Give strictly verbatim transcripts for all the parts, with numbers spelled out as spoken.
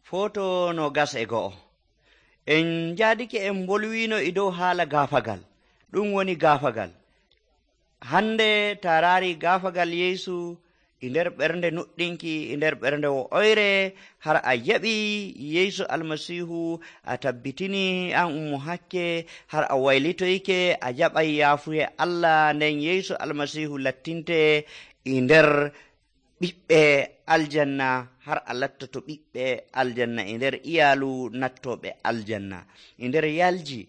Foto no gas e go'o. En jaadike en bolwino e dow haala gaafagal. Ɗum woni gaafagal. Hande tarari gaafagal Yeesu e nder ɓernde nuɗɗinki e nder ɓernde wo'oyre har a yaɓi Yeesu almasihu a tabbitini an ummo hakke har a waylitoyke a jaɓay yaafuye Allah nden Yeesu almasihu lattinte e nder ɓiɓɓe aljanna har a lattoto ɓiɓɓe aljanna e nder iyalu nattoɓe aljanna e nder yalji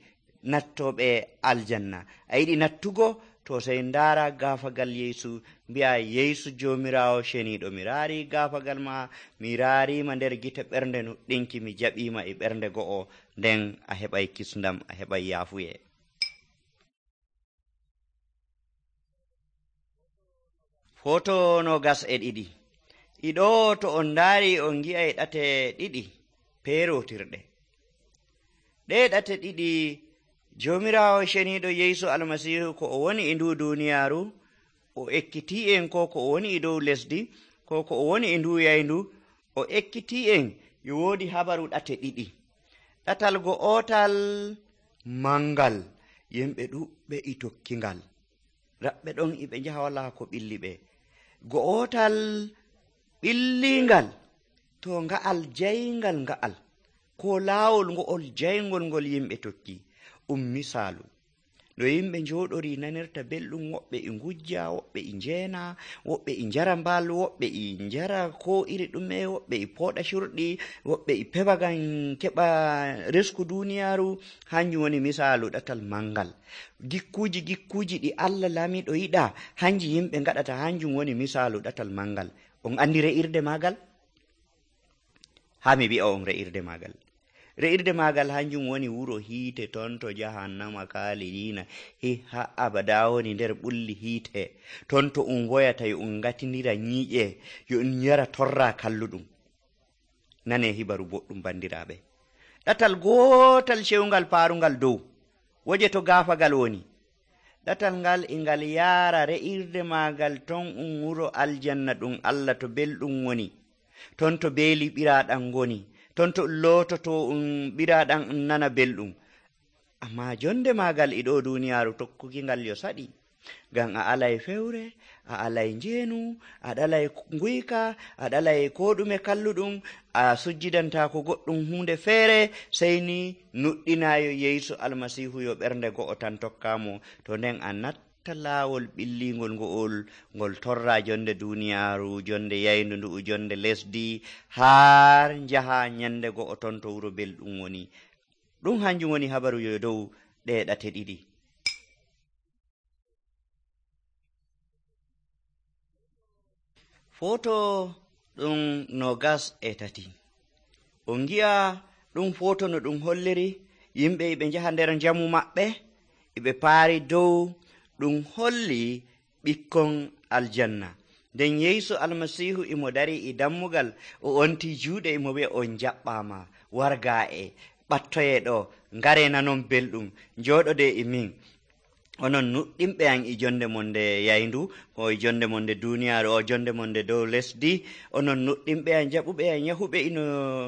nattoɓe aljanna. A yiɗi nattugo to sey ndaara gaafagal Yeesu mbi'a Yeesu Joomiraawo ceniiɗo mi raari gaafagal ma mi raarima nder gite ɓernde nuɗɗinki mi jaɓima e ɓernde go'o nden a heɓay kisndam a heɓay yaafuye. Foto no gas e ɗiɗi. Iɗo to on ndaari on gi'ay ɗate ɗiɗi peerotirɗe. Ɗe ɗate ɗiɗi Joomiraawo ceniiɗo Yeesu almasihu ko o woni e ndu duuniyaaru o ekkitii en ko ko o woni e dow lesdi ko ko o woni e ndu yayndu o ekkitii en yo woodi habaru ɗate ɗiɗi. Ɗatal go'otal mangal yimɓe ɗuɓɓe e tokkingal raɓɓe ɗon e ɓe njaha walaa ko ɓilli ɓe. Go'otal ɓillingal to nga'al jayngal nga'al ko laawol ngo'ol jayngol ngol yimɓe tokki ɗum misaalu no yimɓe njooɗori nanirta belɗum, woɓɓe e ngujja, woɓɓe e njeena, woɓɓe e njara mbal, woɓɓe e njara ko iri ɗume, woɓɓe e pooɗa curɗi, woɓɓe e peɓa ngam keɓa resku duuniyaaru. Hanjum woni misaalu ɗatal mangal. Gikkuuji gikkuuji ɗi Allah laamiɗo yiɗa hanji yimɓe ngaɗata, hanjum woni misaalu ɗatal mangal. On andi re'irde maagal? Haa mi wi'a on re'irde maagal. Re'irde maagal hanjum woni wuro hiite ton to jahannama kaalidina he ha abada woni nder ɓulli hiite ton to um woyata yo um ngatindira nyiiƴe yo um yara torra kalluɗum. Nane hibaru boɗɗum bandiraɓe. Ɗatal gootal cewgal paarungal dow woje to gaafagal woni. Ɗatal ngal e ngal yaara re'irde maagal ton um wuro aljanna ɗum Allah to belɗum woni, ton to beeli ɓiraaɗam ngoni, ton to loototo um ɓiraaɗam um nana belɗum. Amma jonde maagal e ɗo duuniyaaru tokkuki ngal yo saɗi, ngam a alay fewre, a alay njeenu, a ɗalay nguyka, a ɗalay ko ɗume kalluɗum, a sujjidantaako goɗɗum hunde feere, sey ni nuɗɗinaayo Yeesu almasihu yo ɓernde go'o tan tokkaamo, to nden a natta laawol ɓillingol ngo'ol ngol torra jonde duuniyaaru, jonde yayndu ndu'u, jonde lesdi, haa njaha nyande go'o ton to wuro belɗum woni. Ɗum hanjum woni habaru yo dow ɗe ɗate ɗiɗi. Foto ɗum nogas e tati. On gi'a ɗum foto no ɗum holliri yimɓe ɓe njaha nder njamu maɓɓe eɓe paari dow ɗum holli ɓikkon aljanna. Nden Yeesu almasihu imo dari e dammugal o onti juuɗe imo wi'a on jaɓɓama warga e ɓattoye ɗo ngare nanon belɗum njooɗode e min. Onon nuɗɗinɓe an e jonde mon nde yayndu ko e jonde mon nde duuniyaaru o jonde mon nde dow lesdi, onon nuɗɗinɓe an jaɓuɓe an yahuɓe ino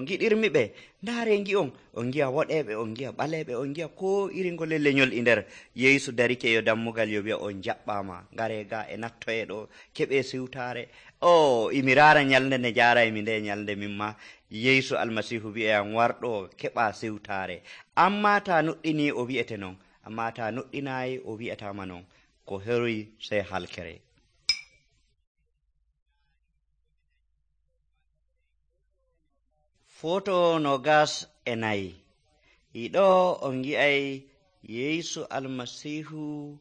giɗirmi ɓe. Ndaare ngi'on on ngi'a woɗeɓe, on ngi'a ɓaleɓe, on ngi'a ko iri ngole leñol e nder. Yeesu darike yo dammugal yo wi'a on jaɓɓama ngare ga e nattoye ɗo keɓe siwtaare. O imi raara nyalde nde jaaraymi nde nyalde mimma Yeesu almasihu wi'e an warɗo keɓa siwtaare. Amma ta nuɗɗini o wi'ete non, amma ta nuɗɗinayi o wi'atama non, ko heroy sey halkere. Foto no gas e nayi. Iɗo on gi'ay Yeesu almasihu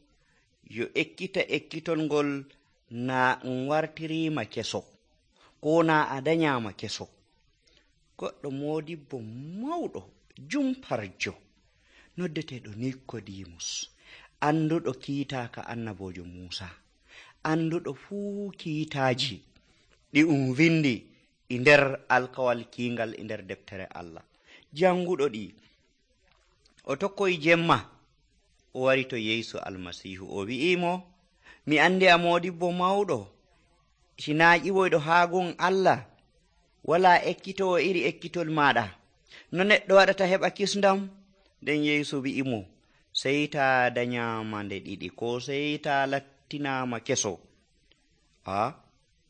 yo ekkita ekkitolngol na um wartirima keso ko na a danyama keso. Goɗɗo modibbo mawɗo jumparjo noddeteɗo Nikodimus, anduɗo kiitaka annabojo Musa, anduɗo fuu kiitaji ɗi um vindi e nder alkawal kiingal e nder deftere Allah, janguɗo ɗi. O tokkoyi jemma o wari to Yeesu almasihu o wi'imo, mi andi a modibbo mawɗo, sina ƴiwoyɗo haa gon Allah, wala ekkitowo iri ekkitol maɗa. No neɗɗo waɗata heɓa kisndam? Nden Yeesu wi'imo, sey ta danyama nde ɗiɗi, ko sey ta lattinama keso. a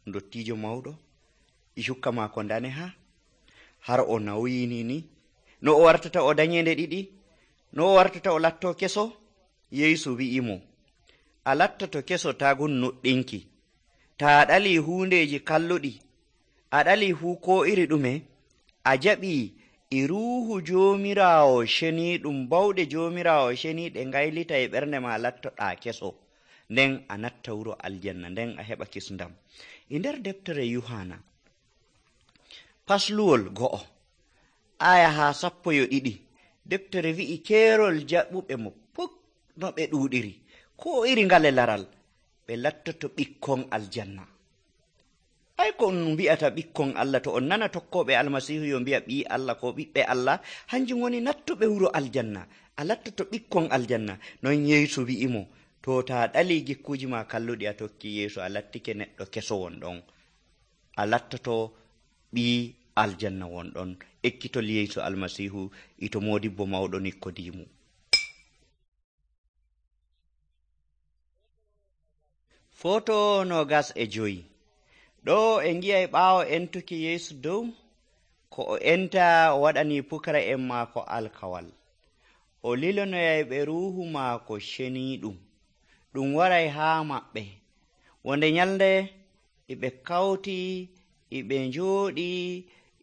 ndottijo mawɗo e cukka maako ndane ha har o nawyini ni, no o wartata o danye nde ɗiɗi, no o wartata o latto keso? Yeesu wi'imo, a lattato keso tagun nuɗɗinki, ta a ɗali hundeji kalluɗi, a ɗali fuu ko iri ɗume, a jaɓi e ruuhu Joomiraawo ceniiɗum, bawɗe Joomiraawo ceniiɗe ngaylita e ɓernde ma, lattoɗa keso, nden a natta wuro aljanna, nden a heɓa kisndam. E nder deftere Yuhana pasluwol go'o aya ha sappo yo ɗiɗi, deftere wi'i keerol jaɓuɓe mo puk no ɓe ɗuuɗiri, ko iri ngale laral, ɓe lattoto ɓikkon aljanna. Ay ko on mbi'ata ɓikkon Allah, to on nana tokkoɓe almasihu yo mbi'a ɓi Allah ko ɓiɓɓe Allah, hanjum woni nattuɓe wuro aljanna, a lattoto ɓikkon aljanna. Non Yeesu wi'imo, to ta ɗali gikkuji ma kalluɗi a tokki Yeesu, a lattike neɗɗo keso wonɗon, a lattoto ɓi aljanna wonɗon. Ekkitol Yeesu almasihu ito modibbo mawɗo Nikodimo. Foto nogas e joyi. Ɗo en ngi'ay ɓaawo entuki Yeesu dow, ko o enta o waɗani pukara'en maako alkawal. O lilonoyay ɓe ruuhu maako ceniiɗum, ɗum waray haa maɓɓe. Wonde nyalnde iɓe kawti, iɓe njooɗi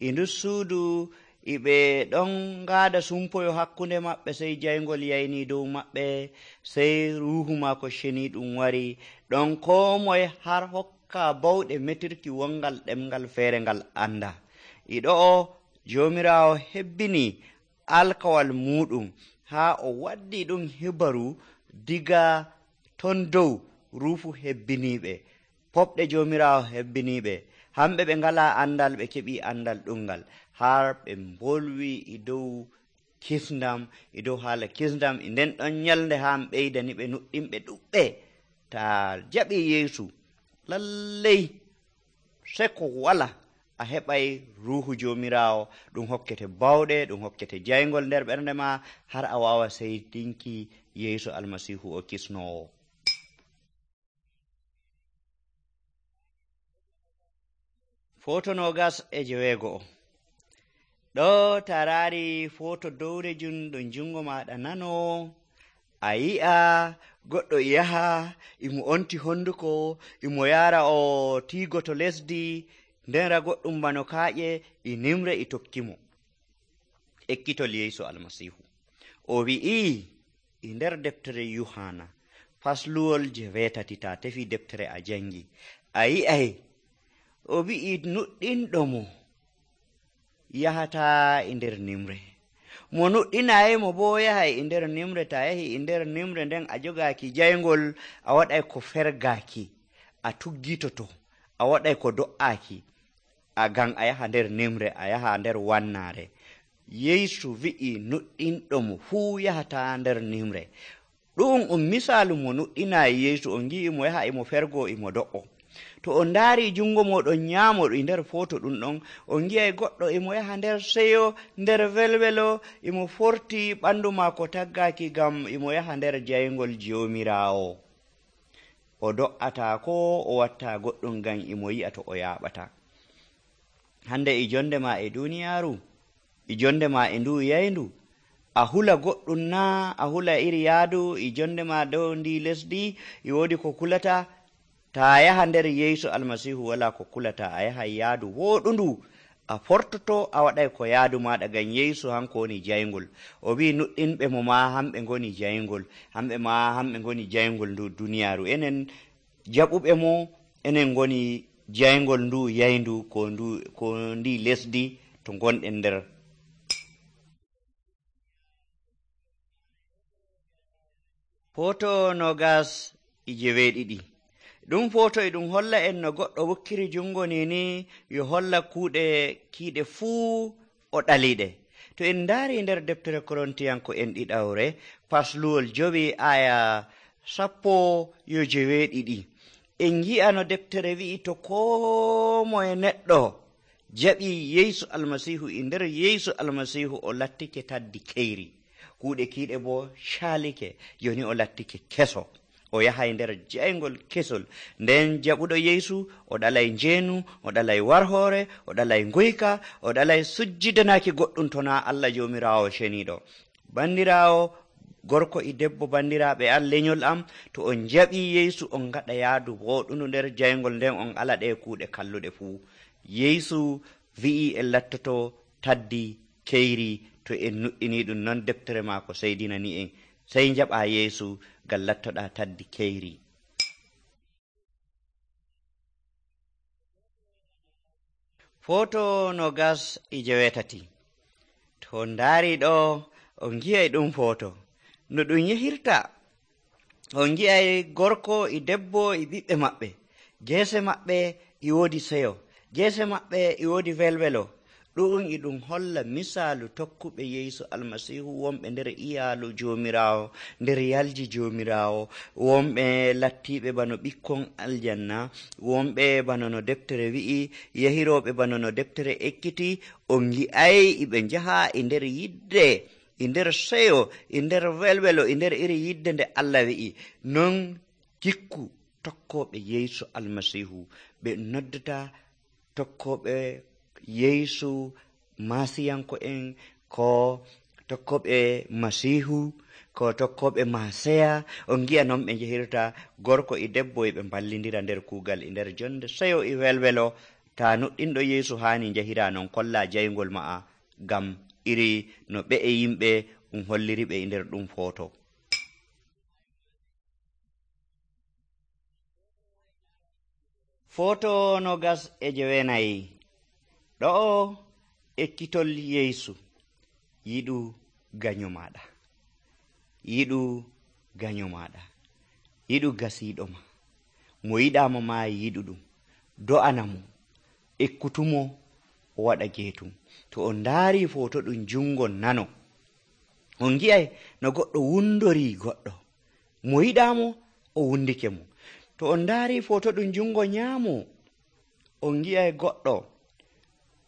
e nder suudu, iɓe ɗon ngaada sumpoyo hakkunde maɓɓe, sey jayngol yayni dow maɓɓe, sey ruuhu maako ceniiɗum wari, ɗon koo moye har hokka bawɗe metirki wongal ɗemngal feere ngal anda. Iɗo'o Joomiraawo hebbini alkawal muɗum haa o waddi ɗum hibaru diga ton dow ruufu hebbiniiɓe, poɓɗe Joomiraawo hebbiniiɓe, hamɓe ɓe ngalaa andal ɓe keɓi andal ɗumngal, har ɓe mbolwi e dow kisndam, e dow haala kisndam. E nden ɗon nyalnde haa ɓeydani ɓe nuɗɗinɓe ɗuɓɓe. Ta jaɓi Yeesu lalley seko wala a heɓay ruuhu Joomiraawo, ɗum hokkete bawɗe, ɗum hokkete jayngol nder ɓernde ma, har a waawa seydinki Yeesu almasihu o kisnoowo. Foto nogas e jeweego'o. Ɗo taraari foto dowrejum ɗo jungo maɗa nano, a yi'a goɗɗo yaha imo onti honduko, imo yara o tiigo to lesdi, ndera goɗɗum bano kaaƴe e nimre e tokkimo. Ekkitol Yeesu almasihu o wi'i e nder deftere Yuhana fasluwol jeweetati, ta tefi deftere a jangi, a yi'ay o wi'i nuɗɗinɗo mo yahata e nder nimre, mo nuɗɗinayimo bo yahay e nder nimre. Ta yahi e nder nimre nden a jogaaki jayngol, a waɗay ko fergaaki, a tuggitoto, a waɗay ko do'aaki, a gan a yaha nder nimre, a yaha nder wannaare. Yeesu wi'i nuɗɗinɗo mo fuu yahata nder nimre. Ɗum um misaalu mo nuɗɗinaayi Yeesu, on ngi'i mo yaha imo fergo imo do'o. To on ndaari jungo moɗon nyaamo e nder foto ɗum ɗon, on ngi'ay goɗɗo imo yaha nder seyo, nder welwelo, imo forti ɓandu maako taggaaki, ngam imo yaha nder jayngol Joomiraawo. O do'ata ko o watta goɗɗum ngam imo yi'a to o yaaɓata. Hande e jonde ma e duniyaaru, e jonde ma e ndu yayndu, a hula goɗɗum na a hula iri yaadu e jonde ma dow ndi lesdi, e woodi ko kulata. Ta yaha nder Yeesu almasihu wala ko kulata, a yaha yaadu woɗundu, a fortoto, a waɗay ko yaadu maɗa, ngam Yeesu hanko woni jayngol. O wi nuɗɗinɓe mo ma hamɓe ngoni jayngol, hamɓe ma hamɓe ngoni jayngol ndu duniyaaru. Enen jaɓuɓe mo, enen ngoni jayngol ndu yayndu ko ndu ko ndi lesdi to gonɗen nder. Foto nogas e jeweeɗiɗi. Ɗum foto e ɗum holla en no goɗɗo wukkiri jungo nini yo holla kuuɗe kiiɗe fuu o ɗaliɗe. To en ndaari nder deftere Korintiyanko en ɗiɗawre fasluwol jowi aya sappo yo jeweeɗiɗi, en ngi'a no deftere wi'i to koo moye neɗɗo jaɓi Yeesu almasihu e nder Yeesu almasihu o lattike taddi keyri, kuuɗe kiiɗe bo caalike, joni o lattike keso, o yahay nder jayngol kesol. Nden jaɓuɗo Yeesu o ɗalay njeenu, o ɗalay warhoore, o ɗalay nguyka, o ɗalay sujjidanaki goɗɗum to na Allah joomiraawo ceniiɗo. Bandiraawo gorko e debbo, bandiraaɓe an leñol am, to on jaɓi Yeesu on gaɗa yaadu woɗundu nder jayngol nden on ala ɗe kuuɗe kalluɗe fuu. Yeesu wi'i en lattoto taddi keyri to en nuɗɗini ɗum, non deftere maako seydinani en. Sey jaɓa Yeesu ngam lattoɗa taddi keyri. Foto nogas e jewetati. To on ndaari ɗo on gi'ay ɗum foto no ɗum yehirta. On gi'ay gorko e debbo e ɓiɓɓe maɓɓe, geese maɓɓe e woodi seyo, geese maɓɓe e woodi welwelo. ɗum e ɗum holla misaalu tokkuɓe Yeesu almasihu wonɓe nder iyaalu joomiraawo, nder yalji joomiraawo, wonɓe lattiiɓe bano ɓikkon aljanna, wonɓe bano no deftere wi'i, yahirooɓe bano no deftere ekkiti. On gi'ay eɓe njaha e nder yidde, e nder seyo, e nder welwelo, e nder iri yidde nde Allah wi'i. Non gikku tokkooɓe Yeesu almasihu, ɓe noddata tokkooɓe Yeesu masiyanko en, ko tokkoɓe masihu, ko tokkoɓe maseya. On gi'a noon ɓe njehirta, gorko e debbo e ɓe ballidira nder kuugal e nder jonde seyo e welwelo. Ta nuɗɗinɗo Yeesu haani njahira non, kolla jayngol ma'a, ngam iri no ɓe e yimɓe um holliri ɓe e nder ɗum foto. Foto nogas e jewenayi. ɗo ekkitol Yeesu, yiɗu gaño maɗa, yiɗu gaño maɗa, yiɗu gasiiɗo ma, mo yiɗama ma yiɗu ɗum, do'ana mo, ekkutumo o waɗa geetum. To on ndaari foto ɗum jungo nano, on gi'ay no goɗɗo wundori goɗɗo, mo yiɗamo o wundike mo. To on ndaari foto ɗum jungo nyaamo, on gi'ay goɗɗo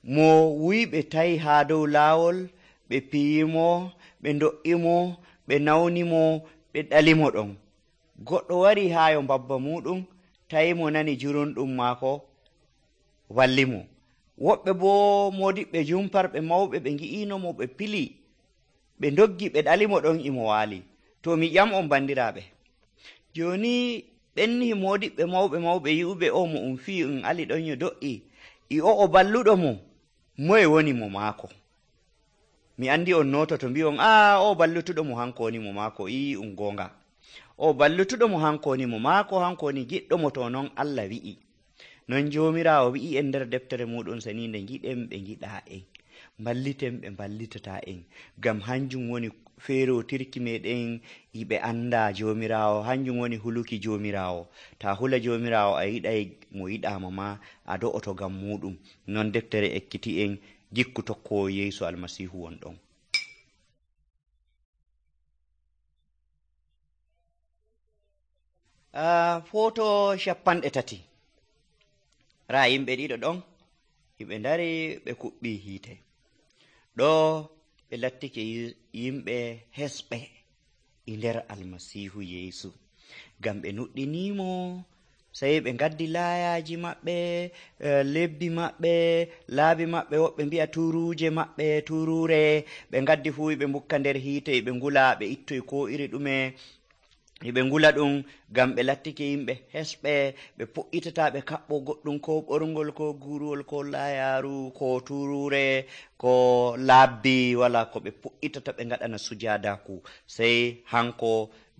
mo wuyi ɓe tawi haa dow laawol, ɓe piyimo, ɓe do'imo, ɓe nawnimo, ɓe ɗalimo ɗon. Goɗɗo wari haa yo mbabba muɗum, tawi mo nani jurunɗum maako, wallimo. Woɓɓe boo modiɓɓe jumparɓe mawɓe ɓe ngi'inomo, ɓe pili, ɓe doggi, ɓe ɗalimo ɗon imo waali. To mi ƴam on bandiraaɓe, jooni ɓenni modiɓɓe mawɓe mawɓe yi'uɓe o mo um fii um ali ɗon yo do'i, i o o balluɗo mo, moye woni mo maako? Mi andi on nototo mbi'on a o ballutuɗo mo hanko woni mo maako. I um gonga, o ballutuɗo mo hanko woni mo maako, hanko woni giɗɗo mo. To non Allah wi'i, non joomiraawo wi'i en nder deftere muɗum seninde, giɗen ɓe giɗa en, balliten ɓe ballitata en, ngam hanjum woni feerotirki meɗen yiɓe anda joomiraawo, hanjum woni huluki joomiraawo. Ta hula joomiraawo a yiɗay mo yiɗama ma, a do'oto ngam muɗum. Non deftere ekkiti en gikku tokkowo Yeesu almasihu won ɗon. Uh, foto capanɗe tati. Raa yimɓe ɗiɗo ɗon yimɓe ndari ɓe kuɓɓi hiite. Ɗo ɓe lattike yimɓe hesɓe e nder almasihu Yeesu, ngam ɓe nuɗɗinimo. Sey ɓe ngaddi laayaji maɓɓe, lebbi maɓɓe, laabi maɓɓe, woɓɓe mbi'a turuuje maɓɓe, turure. Ɓe ngaddi fuu ɓe mbukka nder hiite, ɓe ngula, ɓe ittoy ko iri ɗume, ɓe ngula ɗum, ngam ɓe lattike yimɓe hesɓe. Ɓe pu'itata ɓe kaɓɓo goɗɗum, ko ɓorngol, ko guruwol, ko laayaru, ko turure, ko laabbi, wala ko ɓe pu'itata ɓe ngaɗana sujaadaku. Sey hanko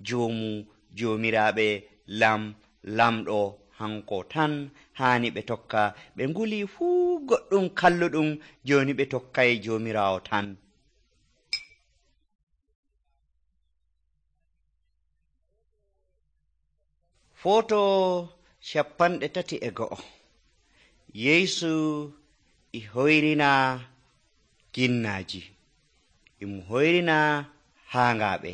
joomu joomiraaɓe, lam lamɗo, hanko tan haani ɓe tokka. Ɓe nguli fuu goɗɗum kalluɗum, jooni ɓe tokkay joomiraawo tan. Foto capanɗe tati e go'o. Yeesu e hoyrina ginnaaji, imo hoyrina haangaaɓe.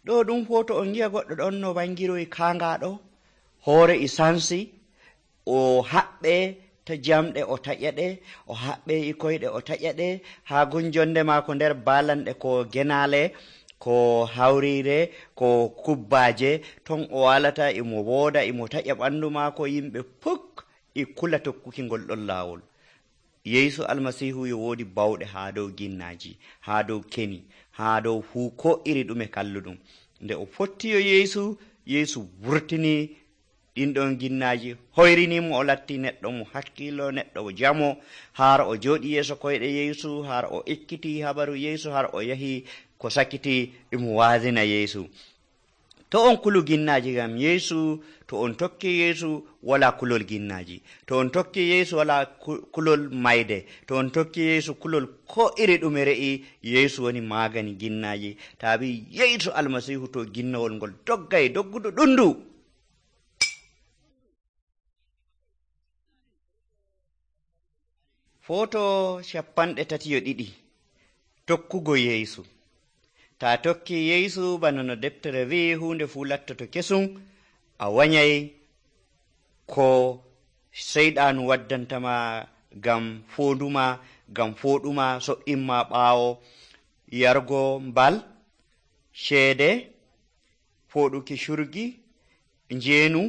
Ɗo ɗum foto on gi'a goɗɗo ɗon no wangiroy kaangaaɗo, hoore e sansi, o haɓɓe to jamɗe o taƴa ɗe, o haɓɓe e koyɗe o taƴa ɗe, haa gon jonde maako nder baalanɗe ko genaale, ko hawriire, ko kubbaaje, ton o walata imo wooda imo taƴa ɓanndu maako, yimɓe puk e kula tokkuki ngol ɗon laawol. Yeesu almasiihu yo woodi bawɗe haa dow ginnaaji, haa dow keni, haa dow fuu ko iri ɗume kalluɗum. Nde o fottiyo Yeesu, Yeesu wurtini ɗin ɗon ginnaaji, hoyrinimo, o latti neɗɗo mo hakkiilo, neɗɗo mo jamo, har o jooɗi yeeso koyɗe Yeesu, har o ekkiti habaru Yeesu, har o yahi ko sakiti imo waadina Yeesu. To on kulu ginnaaji, ngam Yeesu, to on tokki Yeesu wala kulol ginnaaji, to on tokki Yeesu wala kulol mayde, to on tokki Yeesu kulol ko iri ɗume re'i, Yeesu woni magani ginnaaji. Taabi Yeesu almasihu to ginnawol ngol doggay doggudu ɗundu. Foto capanɗe tati yo ɗiɗi. Tokkugo Yeesu. Ta tokki Yeesu bana no deftere wi'i, hunde fuu lattoto kesum, a wanyay ko seyɗanu waddantama ngam foonduma, ngam fooɗuma, so'inma ɓaawo yargo mbal, ceede, fooɗuki curgi, njeenu,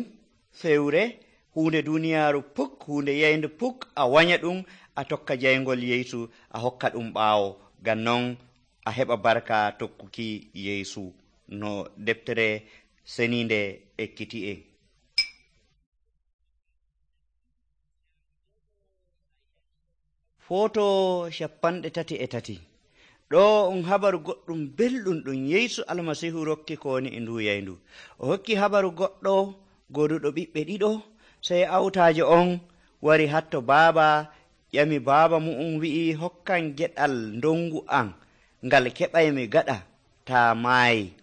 fewre, hunde duniyaaru puk, hunde yayndu puk, a wanya ɗum, a tokka jayngol Yeesu, a hokka ɗum ɓaawo, ngam non a heɓa barka tokkuki Yeesu no deftere seninde ekkiti en. Foto capanɗe tati e tati. Ɗo on habaru goɗɗum belɗum ɗum Yeesu almasihu rokki ko woni e ndu yayndu. O hokki habaru goɗɗo goduɗo ɓiɓɓe ɗiɗo, sey awtaajo on wari hatto baaba, ƴami baaba mu'um wi'i, hokkan geɗal ndongu an ngal keɓaymi gaɗa taa maayi.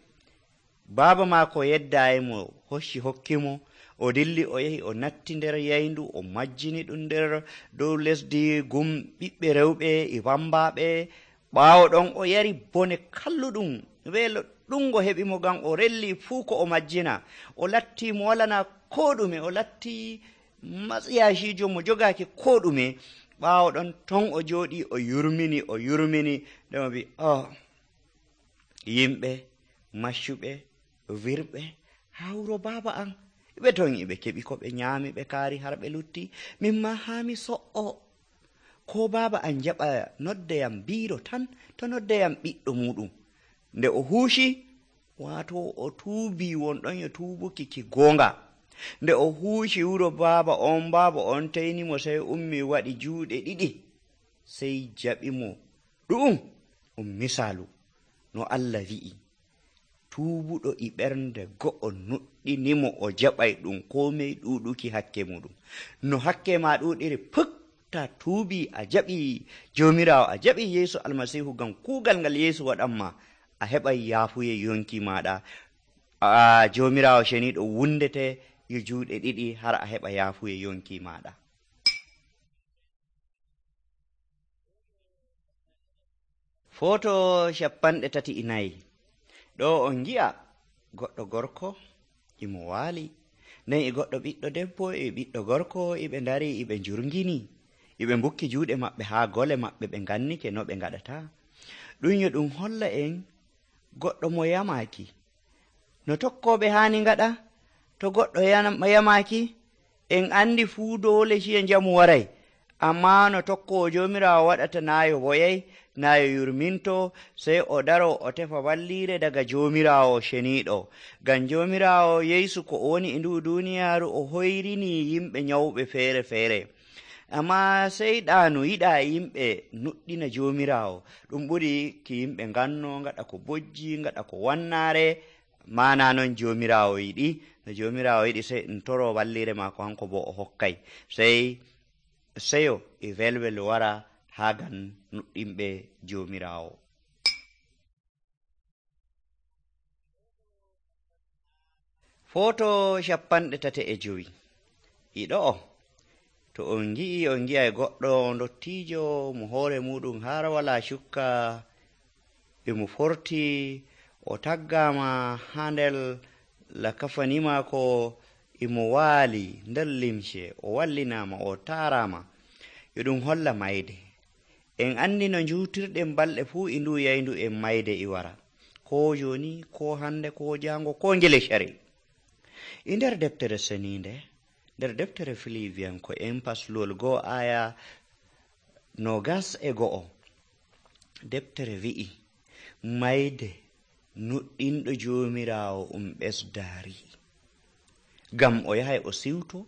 Baaba maako yeddayi mo, hocci hokkimo, o dilli o yahi o natti nder yayndu, o majjini ɗum nder dow lesdi gum ɓiɓɓe rewɓe e wambaɓe. Ɓaawo ɗon o yari bone kalluɗum, weelo ɗungo heɓi mo, ngam o relli fuu ko o majjina. O latti mo walana ko ɗume, o latti matsiyacijo mo jogaaki ko ɗume. Ɓaawo ɗon ton o jooɗi o yurmini o yurmini nde mo wi, oh, yimɓe maccuɓe wirɓe haa wuro baaba an, ɓe ton iɓe keɓi ko ɓe nyaami, ɓe kaari har ɓe lutti, mimma haa mi so'o. Ko baaba an jaɓa noddeyam biiro tan, to noddeyam ɓiɗɗo muɗum. Nde o huuci, waato o tuubi wonɗon yo tuubuki ki goonga. Nde o huuci wuro baaba on, baaba on teynimo, sey ummi waɗi juuɗe ɗiɗi, sey jaɓi mo. Ɗu'um ɗum misaalu no Allah wi'i, tuubuɗo e ɓernde go'o nuɗɗinimo, o jaɓay ɗum komey ɗuuɗuki hakke muɗum. No hakke ma ɗuuɗiri puk, ta tuubi a jaɓi Joomiraawo, a jaɓi Yeesu almasihu ngam kuugal ngal Yeesu waɗanma, a heɓay yaafuye yonki maɗa. a Joomiraawo ceniiɗo wundete yo juuɗe ɗiɗi har a heɓa yaafuye yonki maɗa. Foto capanɗe tati e nayi. Ɗo on gi'a goɗɗo gorko imo waali, nden e goɗɗo ɓiɗɗo debbo e ɓiɗɗo gorko iɓe ndari iɓe njurngini, iɓe mbukki juuɗe maɓɓe haa gole maɓɓe, ɓe ngannike no ɓe ngaɗata. Ɗum yo ɗum holla en goɗɗo mo yamaaki no tokkoɓe haani ngaɗa. To goɗɗo yamaaki, en andi fuu doole ciye njamu waray, amma no tokkowo Joomiraawo waɗata naayo woyay, naayo yurminto, sey o daro o tefa walliire daga Joomiraawo ceniiɗo. Ngam Joomiraawo Yeesu ko o woni e ndu duuniyaaru, o hoyrini yimɓe nyawɓe feere feere, amma seyɗaanu yiɗa yimɓe nuɗɗina Joomiraawo. Ɗum ɓuri ki yimɓe nganno, ngaɗa ko bojji, ngaɗa ko wannaare, mana non Joomiraawo yiɗi. No Joomiraawo yiɗi sey ɗum toro walliire maako, hanko bo o hokkay, sey seyo e welwel wara haa gan nuɗɗinɓe Joomiraawo. Foto capanɗe tate e jowi. Iɗo o, to on gi'i on gi'ay goɗɗo ndottiijo mo hoore muɗum har wala cukka, e mo forti, o taggama haa nder lakafani maako, imo waali nder limce, o wallinama, o taarama. yo ɗum holla mayde. En andi no njuutirɗen balɗe fuu e ndu yayndu en mayde e wara, ko joni, ko hande, ko jango, ko ngele cari. E nder deftere seninde, nder deftere Filiwiyanko en paslol goo aya nogas e go'o, deftere wi'i mayde nuɗɗinɗo jomirawo um ɓesdaari, gam o yahay o siwto,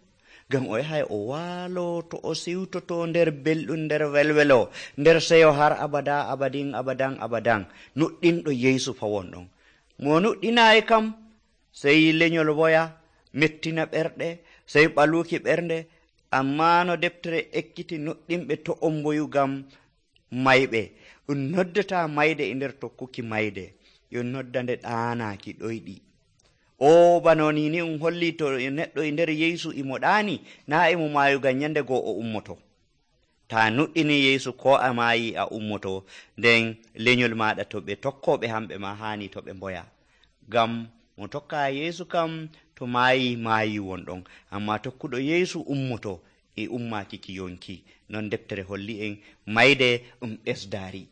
gam o yahay o waalo to o siwtoto nder belɗum, nder welwelo, nder seyo har abada abadin abadan abadan. Nuɗɗinɗo Yeesu fawon ɗon. Mo nuɗɗinayi kam sey leñol woya mettina ɓerɗe, sey ɓaluki ɓernde, amma no deftere ekkiti nuɗɗinɓe to on mboyu gam mayɓe. Ɗum noddata mayde e nder tokkuki mayde, yo nodda nde ɗaanaki ɗoyɗi. O banoni ni um holli to neɗɗo e nder Yeesu imo ɗaani, na emo maayu gam nyande goo o ummoto. Ta nuɗɗini Yeesu ko a maayi a ummoto, nden leñol maɗa to ɓe tokkoɓe hamɓe ma hani to ɓe mboya. Gam mo tokka Yeesu kam to maayi maayi won ɗon, amma tokkuɗo Yeesu ummoto e ummaki ki yonki. Non deftere holli en mayde ɗum ɓesdaari.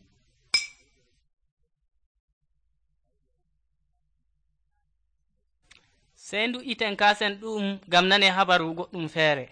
sey ndu iten kasen ɗum gam nane habaru goɗɗum feere.